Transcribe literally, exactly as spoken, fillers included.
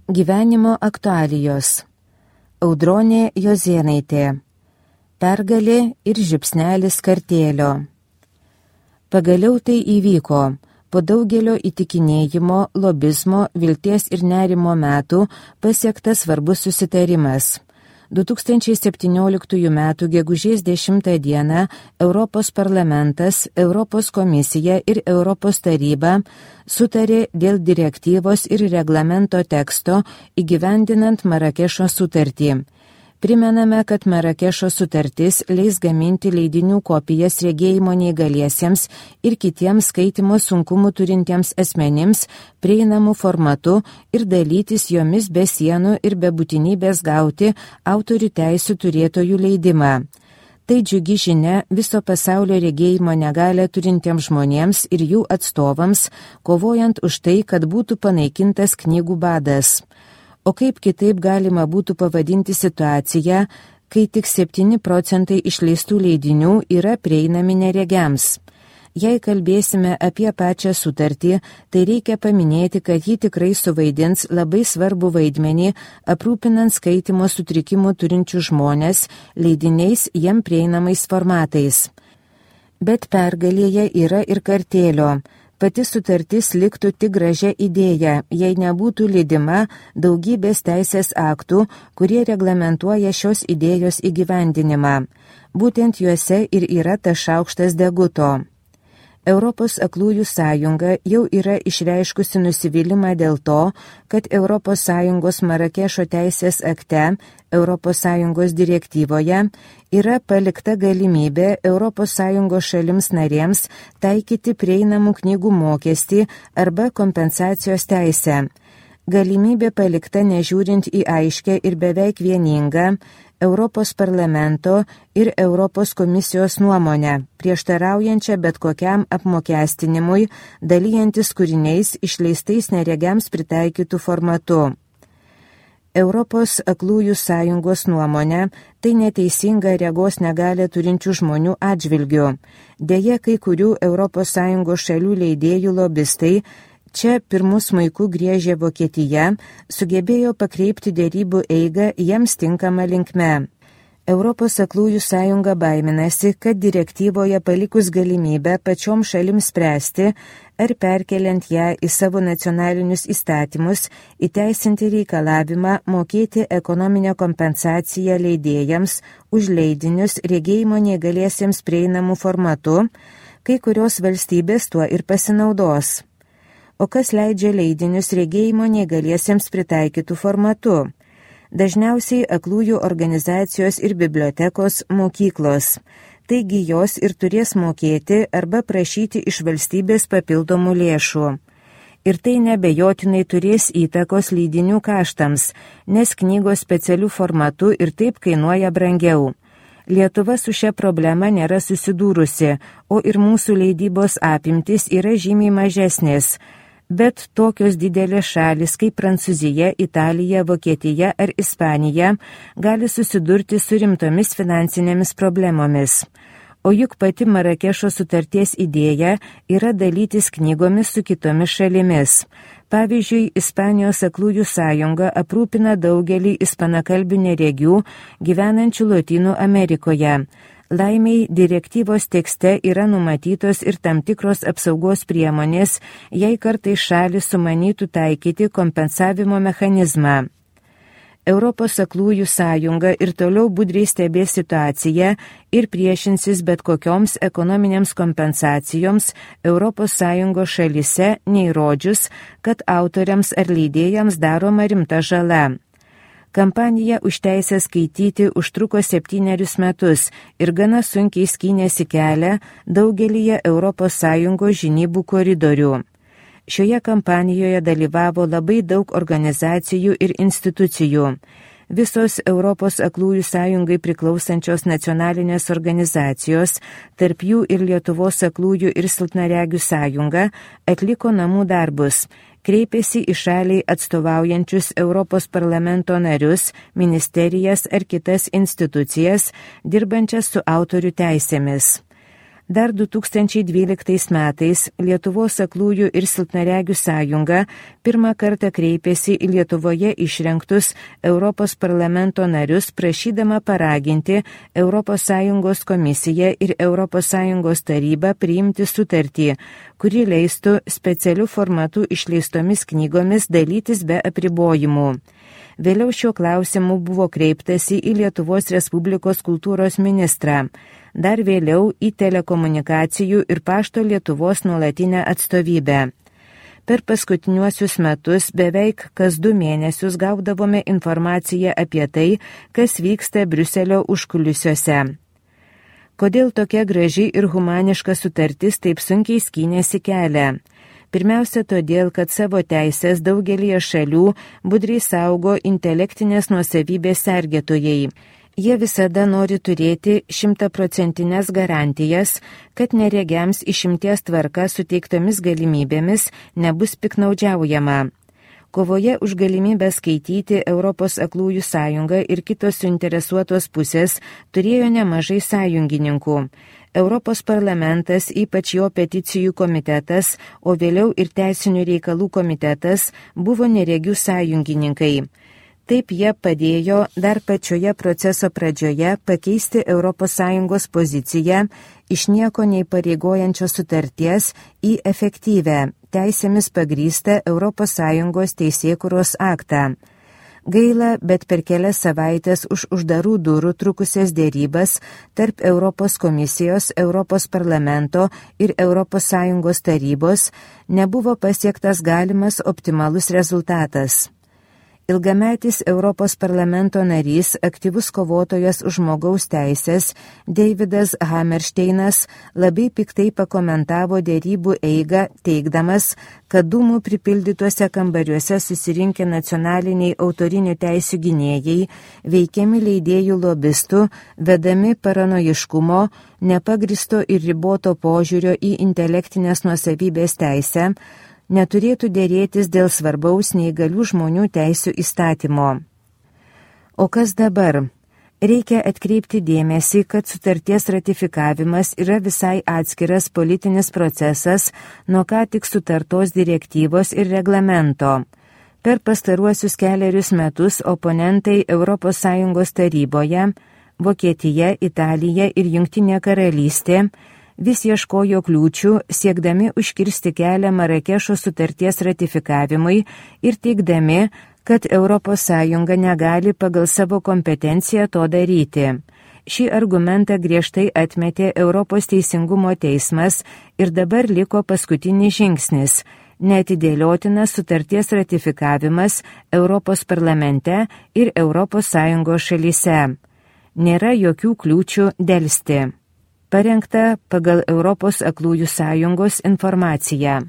Gyvenimo aktualijos. Audronė Jozėnaitė. Pergalė ir žiupsnelis kartėlio. Pagaliau tai įvyko. Po daugelio įtikinėjimo, lobizmo, vilties ir nerimo metų pasiektas svarbus susitarimas. du tūkstančiai septynioliktųjų metų gegužės dešimtą dieną Europos parlamentas, Europos komisija ir Europos taryba sutarė dėl direktyvos ir reglamento teksto įgyvendinant Marakešo sutartį. Primename, kad Marakešo sutartis leis gaminti leidinių kopijas regėjimo neįgaliesiems ir kitiems skaitymo sunkumų turintiems asmenims prieinamų formatu ir dalytis jomis be sienų ir be būtinybės gauti autorių teisių turėtojų leidimą. Tai džiugi žinia viso pasaulio regėjimo negalią turintiems žmonėms ir jų atstovams, kovojant už tai, kad būtų panaikintas knygų badas. O kaip kitaip galima būtų pavadinti situaciją, kai tik septyni procentai išleistų leidinių yra prieinami neregiams? Jei kalbėsime apie pačią sutartį, tai reikia paminėti, kad ji tikrai suvaidins labai svarbų vaidmenį, aprūpinant skaitymo sutrikimų turinčių žmonės leidiniais jiem prieinamais formatais. Bet pergalėje yra ir kartėlio. Pati sutartis liktų tik gražia idėja, jei nebūtų lydima daugybės teisės aktų, kurie reglamentuoja šios idėjos įgyvendinimą. Būtent juose ir yra tas šaukštas deguto. Europos aklųjų sąjunga jau yra išreiškusi nusivylimą dėl to, kad Europos Sąjungos Marakešo teisės akte, Europos Sąjungos direktyvoje yra palikta galimybė Europos Sąjungos šalims narėms taikyti prieinamų knygų mokestį arba kompensacijos teisę. Galimybė palikta nežiūrint į aiškę ir beveik vieningą Europos parlamento ir Europos komisijos nuomonę, prieštaraujančią bet kokiam apmokestinimui, dalyjantis kūriniais išleistais neregiams pritaikytų formatu. Europos aklųjų sąjungos nuomonė tai neteisinga regos negalią turinčių žmonių atžvilgių. Deja, kai kurių Europos Sąjungos šalių leidėjų lobistai čia pirmus smuiku griežė Vokietija, sugebėjo pakreipti dėrybų eigą jiems tinkamą linkme. Europos aklųjų sąjunga baiminasi, kad direktyvoje palikus galimybę pačiom šalims spręsti, ar perkeliant ją į savo nacionalinius įstatymus, įteisinti reikalavimą mokėti ekonominę kompensaciją leidėjams už leidinius regėjimo neįgaliesiems prieinamų formatu, kai kurios valstybės tuo ir pasinaudos. O kas leidžia leidinius regėjimo neįgaliesiems pritaikytų formatu? Dažniausiai aklųjų organizacijos ir bibliotekos mokyklos. Taigi jos ir turės mokėti arba prašyti iš valstybės papildomų lėšų. Ir tai nebejotinai turės įtakos leidinių kaštams, nes knygos specialių formatų ir taip kainuoja brangiau. Lietuva su šia problema nėra susidūrusi, o ir mūsų leidybos apimtis yra žymiai mažesnės. Bet tokios didelės šalis kaip Prancūzija, Italija, Vokietija ar Ispanija gali susidurti su rimtomis finansinėmis problemomis. O juk pati Marakešo sutarties idėja yra dalytis knygomis su kitomis šalimis. Pavyzdžiui, Ispanijos aklųjų sąjunga aprūpina daugelį ispanakalbių neregių gyvenančių Lotynų Amerikoje. Laimiai direktyvos tekste yra numatytos ir tam tikros apsaugos priemonės, jei kartais šalis sumanytų taikyti kompensavimo mechanizmą. Europos aklųjų sąjunga ir toliau budriai stebės situaciją ir priešinsis bet kokioms ekonominėms kompensacijoms Europos Sąjungos šalyse, neįrodžius, kad autoriams ar leidėjams daroma rimta žala. Kampanija už teisę skaityti užtruko septynerius metus ir gana sunkiai skynėsi kelią daugelyje Europos Sąjungos žinybų koridorių. Šioje kampanijoje dalyvavo labai daug organizacijų ir institucijų. Visos Europos aklųjų sąjungai priklausančios nacionalinės organizacijos, tarp jų ir Lietuvos aklųjų ir silpnaregių sąjunga, atliko namų darbus. Kreipėsi į šaliai atstovaujančius Europos parlamento narius, ministerijas ar kitas institucijas, dirbančias su autorių teisėmis. Dar du tūkstančiai dvyliktais metais Lietuvos aklųjų ir silpnaregių sąjunga pirmą kartą kreipėsi į Lietuvoje išrinktus Europos parlamento narius, prašydama paraginti Europos Sąjungos komisiją ir Europos Sąjungos tarybą priimti sutartį, kuri leistų specialiu formatu išleistomis knygomis dalytis be apribojimų. Vėliau šiuo klausimu buvo kreiptasi į Lietuvos Respublikos kultūros ministrą, dar vėliau į telekomunikacijų ir pašto Lietuvos nuolatinę atstovybę. Per paskutiniuosius metus beveik kas du mėnesius gaudavome informaciją apie tai, kas vyksta Briuselio užkulisiuose. Kodėl tokia graži ir humaniška sutartis taip sunkiai skynėsi kelią? Pirmiausia todėl, kad savo teisės daugelį šalių budriai saugo intelektinės nuosavybės sergėtojai. Jie visada nori turėti šimtaprocentinės garantijas, kad neregiams išimties tvarka suteiktomis galimybėmis nebus piknaudžiaujama. Kovoje už galimybę skaityti Europos aklųjų sąjunga ir kitos suinteresuotos pusės turėjo nemažai sąjungininkų. Europos parlamentas, ypač jo peticijų komitetas, o vėliau ir teisinių reikalų komitetas, buvo neregių sąjungininkai. Taip jie padėjo dar pačioje proceso pradžioje pakeisti Europos Sąjungos poziciją iš nieko neįpareigojančios sutarties į efektyvę, teisėmis pagrįstą Europos Sąjungos teisėkūros aktą. Gaila, bet per kelias savaitės už uždarų durų trukusias dėrybas tarp Europos komisijos, Europos parlamento ir Europos Sąjungos tarybos nebuvo pasiektas galimas optimalus rezultatas. Ilgametis Europos parlamento narys, aktyvus kovotojas už žmogaus teisės, Davidas Hammersteinas labai piktai pakomentavo dėrybų eigą, teigdamas, kad dūmų pripildytuose kambariuose susirinkę nacionaliniai autorinių teisių gynėjai, veikiami leidėjų lobistų, vedami paranojiškumo, nepagristo ir riboto požiūrio į intelektinės nuosavybės teisę, neturėtų dėrėtis dėl svarbaus neįgalių žmonių teisių įstatymo. O kas dabar? Reikia atkreipti dėmesį, kad sutarties ratifikavimas yra visai atskiras politinis procesas nuo ką tik sutartos direktyvos ir reglamento. Per pastaruosius keliarius metus oponentai Europos Sąjungos taryboje, Vokietija, Italija ir Jungtinė karalystė vis ieškojo kliūčių, siekdami užkirsti kelią Marakešo sutarties ratifikavimui ir teigdami, kad Europos Sąjunga negali pagal savo kompetenciją to daryti. Šį argumentą griežtai atmetė Europos teisingumo teismas ir dabar liko paskutinis žingsnis – neatidėliotinas sutarties ratifikavimas Europos parlamente ir Europos Sąjungos šalyse. Nėra jokių kliūčių delsti. Parengta pagal Europos aklųjų sąjungos informaciją.